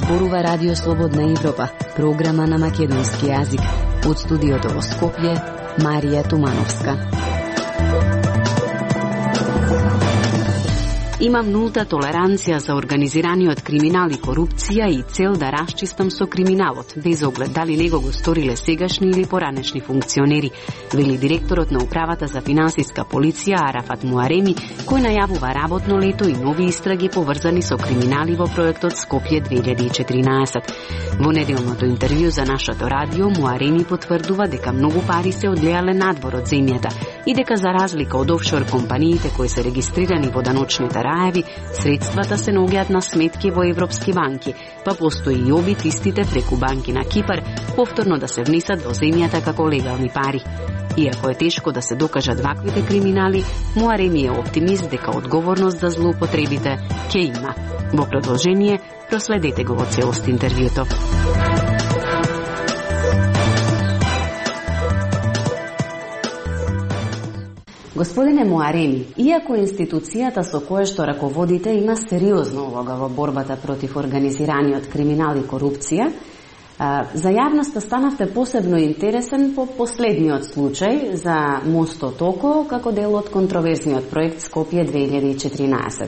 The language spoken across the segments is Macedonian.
зборува Радио Слободна Европа, програма на македонски јазик. Од студиото во Скопје, Марија Тумановска. Имам нулта толеранција за организираниот криминал и корупција и цел да расчистам со криминалот, без оглед дали него го сториле сегашни или поранешни функционери, вели директорот на Управата за финансиска полиција Арафат Муареми, кој најавува работно лето и нови истраги поврзани со криминали во проектот Скопје 2014. Во неделното интервју за нашето радио, Муареми потврдува дека многу пари се одлеале надвор од земјата и дека за разлика од офшор компаниите кои се регистрирани во даночните раеви, средствата се наоѓаат на сметки во европски банки, па постои и обид истите преку банки на Кипар повторно да се внесат во земјата како легални пари. Иако е тешко да се докажат ваквите криминали, Муареми е оптимист дека одговорност за злоупотребите ќе има. Во продолжение, проследете го во целост интервјуто. Господине Муареми, иако институцијата со која што раководите има сериозна улога во борбата против организираниот криминал и корупција, за јавноста станавте посебно интересен по последниот случај за мостот Око како дел од контроверзниот проект Скопје 2014.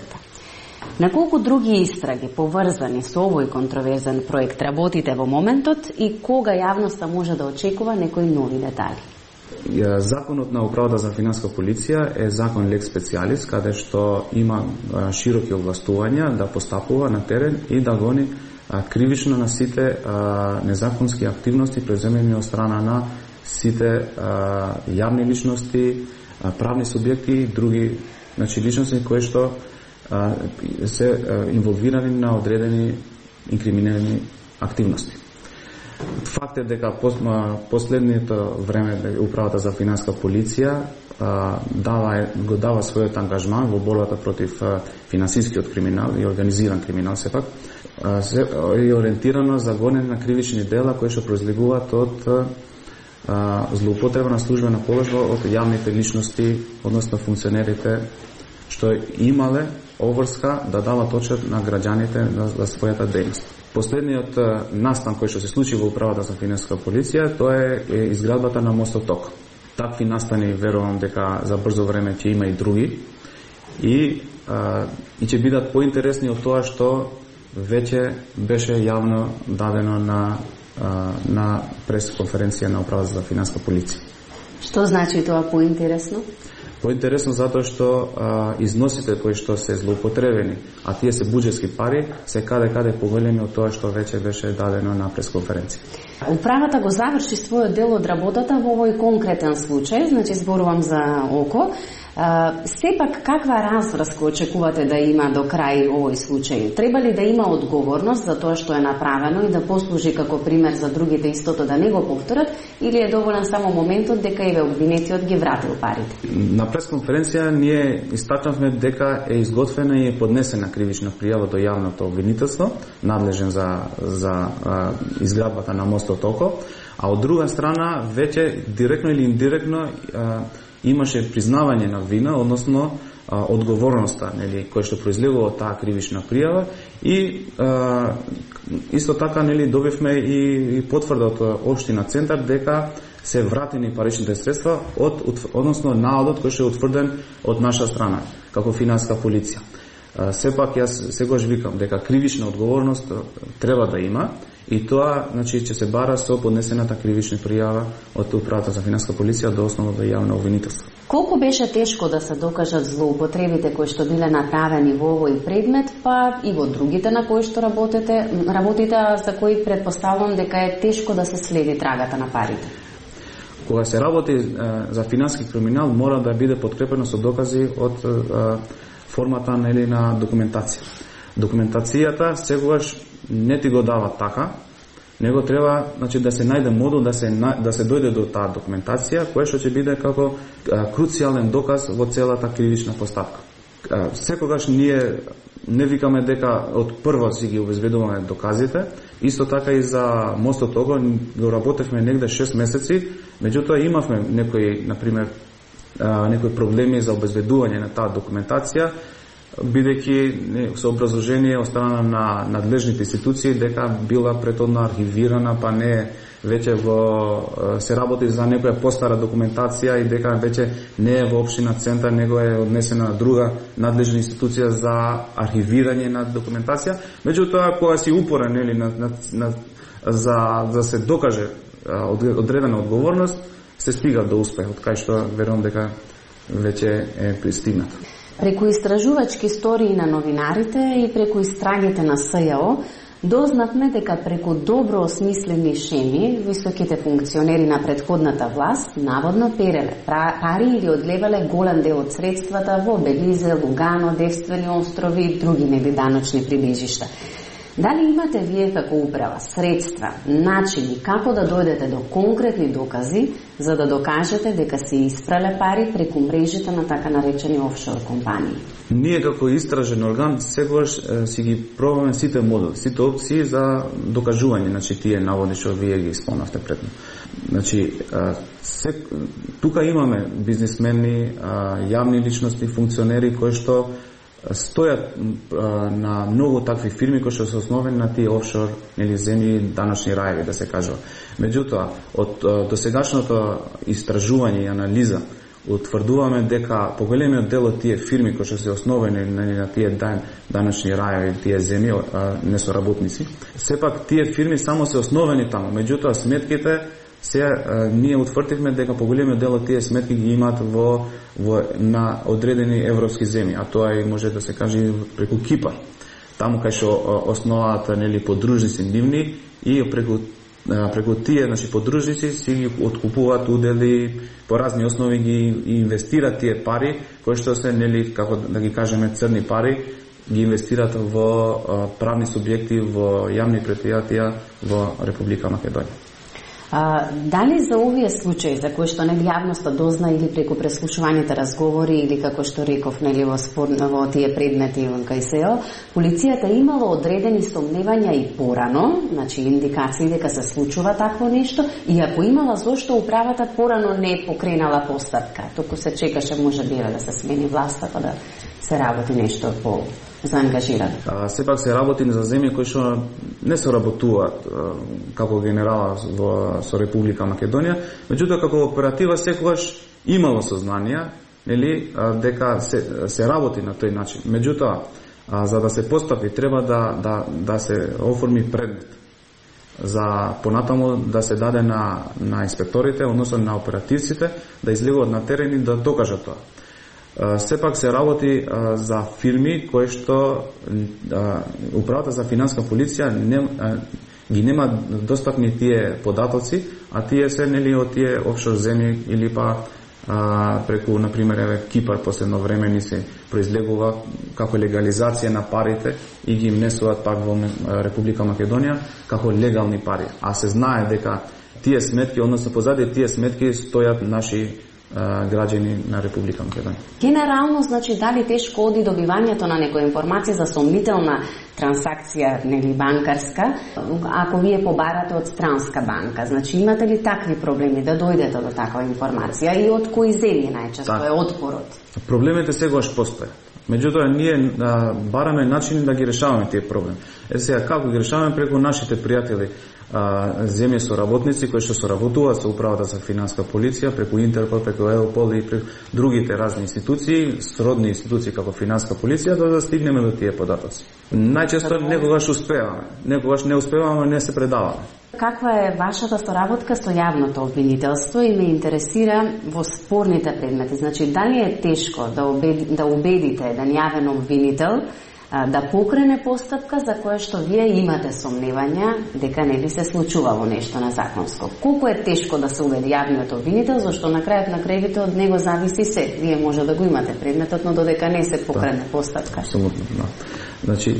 На колку други истраги поврзани со овој контроверзен проект работите во моментот и кога јавноста може да очекува некои нови детали? Законот на Управата за финансиска полиција е закон лекс специалис, каде што има широки овластувања да постапува на терен и да гони кривично на сите незаконски активности преземени од страна на сите јавни личности, правни субјекти и други личности кои што се инволвирани на одредени инкриминирани активности. Факт е дека последното време Управата за финансиска полиција го дава својот ангажман во борбата против финансискиот криминал и организиран криминал сепак е ориентирано за гонење на кривични дела кои што произлегуваат од злоупотреба на службена положба од јавните личности, односно функционерите што имале обврска да дават отчет на граѓаните за својата дејност. Последниот настан кој што се случи во Управата за финансиска полиција, тоа е изградбата на мостот Око. Такви настани верувам дека за брзо време ќе има и други и ќе бидат поинтересни од тоа што веќе беше јавно дадено на пресконференција на Управата за финансиска полиција. Што значи тоа поинтересно? Поинтересно затоа што износите кои што се злоупотребени, а тие се буџетски пари, се каде поголеми од тоа што веќе беше дадено на пресконференција. Управата го заврши својот дел од работата во овој конкретен случај, значи зборувам за Око. Сепак, каква разврска очекувате да има до крај овој случај? Треба ли да има одговорност за тоа што е направено и да послужи како пример за другите истото да не го повторат, или е доволен само моментот дека еве обвинетиот ги вратил парите? На пресконференција ние истакнавме дека е изготвена и е поднесена кривична пријава до јавното обвинителство, надлежен за изградбата на мостот Око, а од друга страна веќе директно или индиректно имаше признавање на вина, односно одговорноста, нели, која што произлегува од таа кривична пријава и исто така, нели, добивме и потврда од општина Центар дека се вратени паричните средства односно наодот кој што е утврден од наша страна како финансиска полиција. Сепак јас сегаш викам дека кривична одговорност треба да има и тоа, значи, ќе се бара со поднесената кривична пријава од Управата за финансиска полиција до основното јавно обвинителство. Колку беше тешко да се докажат злоупотребите кои што биле направени во овој предмет, па и во другите на кои што работите, за кои предпоставувам дека е тешко да се следи трагата на парите? Кога се работи за финансиски криминал, мора да биде подкрепено со докази од формата, нели, на документација. Документацијата сегогаш не ти го дава така, него треба, значи, да се најде модул да се дојде до таа документација, која што ќе биде како круцијален доказ во целата кривична постапка. Секогаш ние не викаме дека од прво си ги обезбедуваме доказите, исто така и за мостот Око го работевме негде 6 месеци, меѓутоа имавме некои, например, некои проблеми за обезбедување на таа документација бидејќи со образложение од страна на надлежните институции дека била претhodно архивирана, па не веќе се работи за некоја постара документација и дека веќе не е во општина Центар, него е однесена на друга надлежна институција за архивирање на документација. Меѓутоа, кога си упорен за се докаже одредена одговорност, се стига до успех, од кај што верувам дека веќе е пристигнато. Преку истражувачки истории на новинарите и преку истрагите на СЈО, дознавме дека преку добро осмислени шеми, високите функционери на претходната власт наводно переле пари или одлевале голем дел од средствата во Белизе, Лугано, Девствени острови и други небиданочни прибежишта. Дали имате вие како управа средства, начини како да дојдете до конкретни докази за да докажете дека се испрале пари преку мрежите на така наречени офшор компании? Ние како истражен орган секогаш си ги пробаме сите модели, сите опции за докажување, значи тие наводи што вие ги спомнавте предно. Значи тука имаме бизнисмени, јавни личности, функционери кои што стојат на многу такви фирми кои што се основени на тие офшор или земји, даночни раеви, да се кажува. Меѓутоа, од досегашното истражување и анализа утврдуваме дека поголемиот дел од тие фирми кои што се основени на тие даночни раеви, тие земји, не со работници, сепак тие фирми само се основени таму. Меѓутоа, сметките ние утврдивме дека поголемиот дел од тие сметки ги имаат на одредени европски земји, а тоа и може да се каже преку Кипар. Таму кај што основаат подружници нивни и преку тие подружници си ги откупуваат удели, по разни основи ги инвестираат тие пари, кои што се како да ги кажеме црни пари, ги инвестираат во правни субјекти, во јавни предпријатија во Република Македонија. Дали за овие случаи за кои што јавноста дозна или преку преслушуваните разговори или како што реков во тие предмети во КСО, полицијата имала одредени сомневања и порано, значи индикации дека се случува такво нешто, и ако имала, зошто управата порано не покренала постапка, току се чекаше можеби да се смени власта па да се работи нешто по заангажиран. Сепак се работи за земји кои што не се работуваат како генерала со Република Македонија, меѓутоа како оператива секогаш имало сознание, дека се работи на тој начин. Меѓутоа, за да се постапи треба да се оформи предмет за понатаму да се даде на инспекторите, односно на оперативците, да излегуваат на терен и да докажат тоа. Сепак се работи за фирми кои што управата за финанска полиција ги нема достапни тие податоци, а тие се од тие офшор земји или па преку, например, Кипар последно време ни се произлегува како легализација на парите и ги внесуваат пак во Република Македонија како легални пари. А се знае дека тие сметки, односно позади тие сметки стојат наши граѓани на Република Македонија. Генерално, значи, дали тешко оди добивањето на некоја информација за сомнителна трансакција, нели банкарска, ако вие побарате од странска банка? Значи, имате ли такви проблеми да дојдете до таква информација и од кои земји најчесто е отпорот? Проблемите сегаш постојат. Меѓутоа, ние бараме начини да ги решаваме тие проблеми. Сега, како ги решаваме? Преку нашите пријатели земји со работници кои што соработуваат со управата за финанска полиција, преку Интерпол, преку Еопол и преку другите разни институции, сродни институции како финанска полиција, да стигнеме до тие податоци. Најчесто некогаш успеваме, некогаш не успеваме, не се предаваме. Каква е вашата соработка со јавното обвинителство и ме интересира во спорните предмети? Значи, дали е тешко да убедите еден јавен обвинител да покрене постапка за која што вие имате сомневања дека не би се случувало нешто незаконско? Колку е тешко да се убеди јавниот обвинител, зашто на крајот на крајвите од него зависи се. Вие може да го имате предметот, но додека не се покрене постапка. Апсолутно, да. Значи,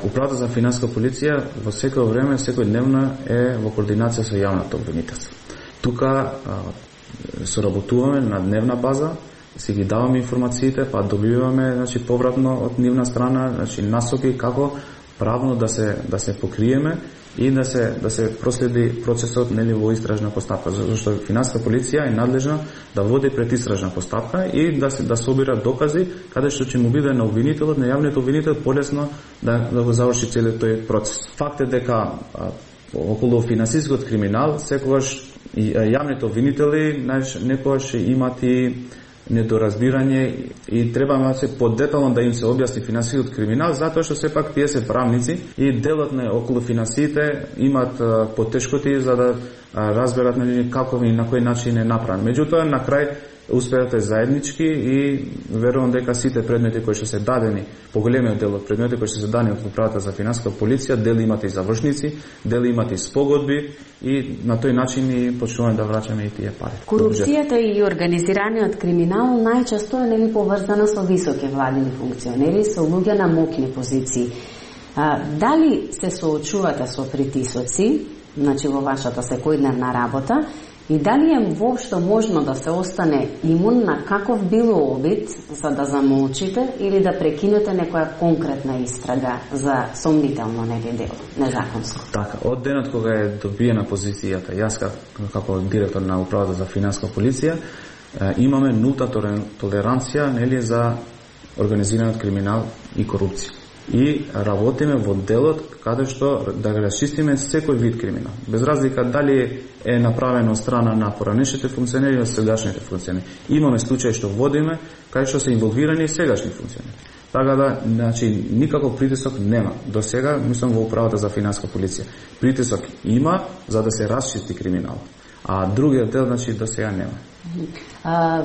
управата за финанска полиција во секој време, секој дневно е во координација со јавното обвинителство. Тука соработуваме на дневна база, си ги даваме информациите, па добиваме, значи, повратно од нивна страна, значи, насоки како правно да се покриеме и да се проследи процесот во истражна постапка, зашто финансиска полиција е надлежна да води предистражна постапка и да собира докази каде што ќе му биде на обвинителот, на јавниот обвинител полесно да го заврши целиот тој процес. Факт е дека околу финансискиот криминал секогаш јавните обвинители некогаш имат и недоразбирање и треба да се подетално да им се објасни финансискиот криминал, затоа што сепак тие се правници и делот на околу финансиите имат потешкоти за да разберат како и на кој начин е направен. Меѓутоа на крај успеате заеднички и верувам дека сите предмети кои што се дадени, поголемиот дел од предмети кои што се дадени од управата за финансиска полиција, дели имате и завршници, дели имате и спогодби и на тој начин и почнуваме да враќаме и тие пари. Корупцијата и организираниот криминал најчесто е поврзана со високи владини функционери, со луѓе на моќни позиции. Дали се соочувате со притисоци, значи во вашата секојдневна работа, и дали е воопшто можно да се остане имун на каков било обид за да замолчите или да прекинете некоја конкретна истрага за сомнително дело, незаконско? Така, од денот кога е добиена позицијата, јас како директор на управата за финансиска полиција, имаме нулта толеранција за организираниот криминал и корупција. И работиме во делот каде што да го расчистиме секој вид криминал. Без разлика дали е направено од страна на поранешните функционери или сегашните функционери. Имаме случаи што водиме кај што се инволвирани сегашни функционери. Така да, значи, никаков притисок нема. До сега, мислам, во управата за финансиска полиција. Притисок има за да се расчисти криминал. А другиот дел, значи, до сега нема.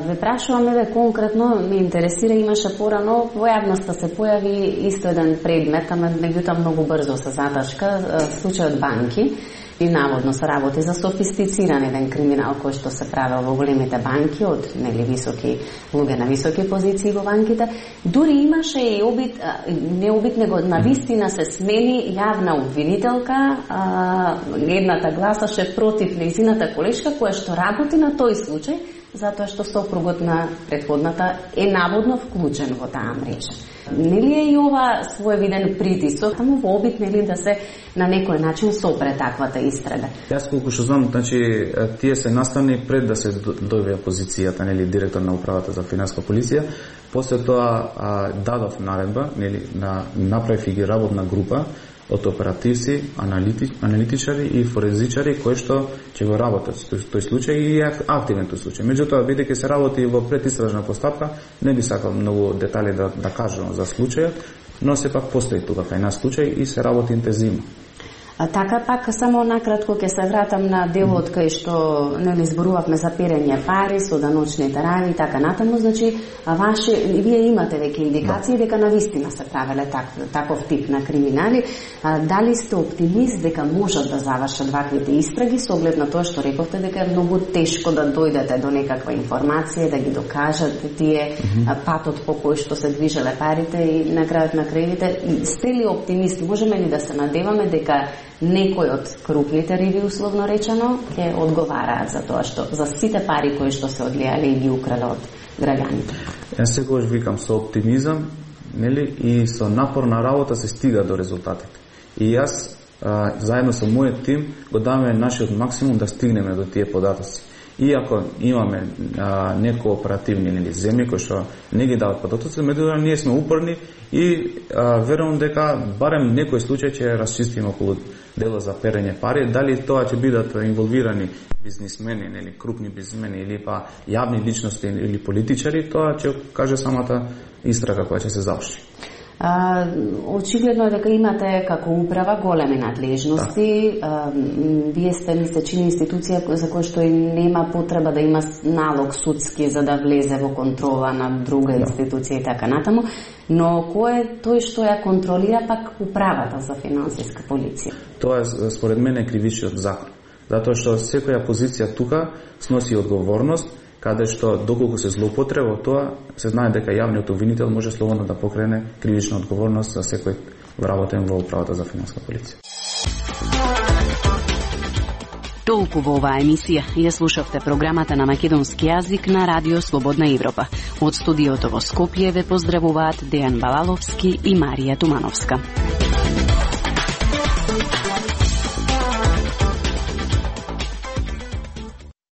Ве прашуваме конкретно, ме интересира, имаше порано, во јавноста се појави исто еден предмет, ама меѓутоа многу брзо се затачка, случајот банки, и наводно се работи за софистициран еден криминал кој што се правел во големите банки од високи луѓе на високи позиции во банките. Дури имаше и обид, не обид, него навистина се смени јавна обвинителка, едната гласаше против нејзината колешка која што работи на тој случај, затоа што сопругот на претходната е наводно вклучен во таа мрежа. Нели е и ова своевиден притисок, само во обид да се на некој начин сопре таквата истрага? Јас колку што знам, значи тие се наставни пред да се дојде позицијата, директор на управата за финансиска полиција. После тоа дадов наредба, направив и работна група од оперативци, аналитичари и форензичари кои што ќе го работат тој случај и е активен тој случај. Меѓутоа, бидејќи се работи во предистражна постапка, не би сакал многу детали да кажам за случајот, но сепак постои тука кај нас случај и се работи интензивно. Така пак само накратко ќе се вратам на делот кај што зборувавме за перење пари со даночните рајави и така натаму, значи вие имате веќе индикации дека навистина се правеле таков тип на криминали. Дали сте оптимист дека можат да завршат ваквите истраги со оглед на тоа што рековте дека е многу тешко да дојдете до некаква информација, да ги докажете тие патот по кој што се движеле парите и на крајот на крајите? Сте ли оптимист? Можеме ли да се надеваме дека некој од крупните риби, условно речено, ќе одговараат за тоа што за сите пари кои што се одлијале и ги украле од граѓаните? Јас секогаш викам со оптимизам, и со напорна работа се стига до резултатите. И јас заедно со мојот тим го даваме нашиот максимум да стигнеме до тие податоци. Иако имаме некои оперативни земји кои што не ги дават податоци, меѓутоа ние сме упорни и верувам дека барем некој случај ќе расчистиме околу дело за перење пари. Дали тоа ќе бидат инволвирани бизнисмени, крупни бизнисмени или па јавни личности или политичари, тоа ќе каже самата истрага која ќе се заврши. Очигледно е дека имате како управа големи надлежности. Вие сте, ми се чини, институција за која што и нема потреба да има налог судски за да влезе во контрола на друга институција и така натаму. Но кој е тој што ја контролира пак управата за финансиска полиција? Тоа е според мене кривичниот закон. Затоа што секоја позиција тука сноси одговорност, каде што доколку се злоупотреба тоа, се знае дека јавниот обвинител може слободно да покрене кривична одговорност за секој вработен во управата за финансиска полиција. Толку во оваа емисија. Ја слушавте програмата на македонски јазик на Радио Слободна Европа. Од студиото во Скопје ве поздравуваат Дејан Балаловски и Марија Тумановска.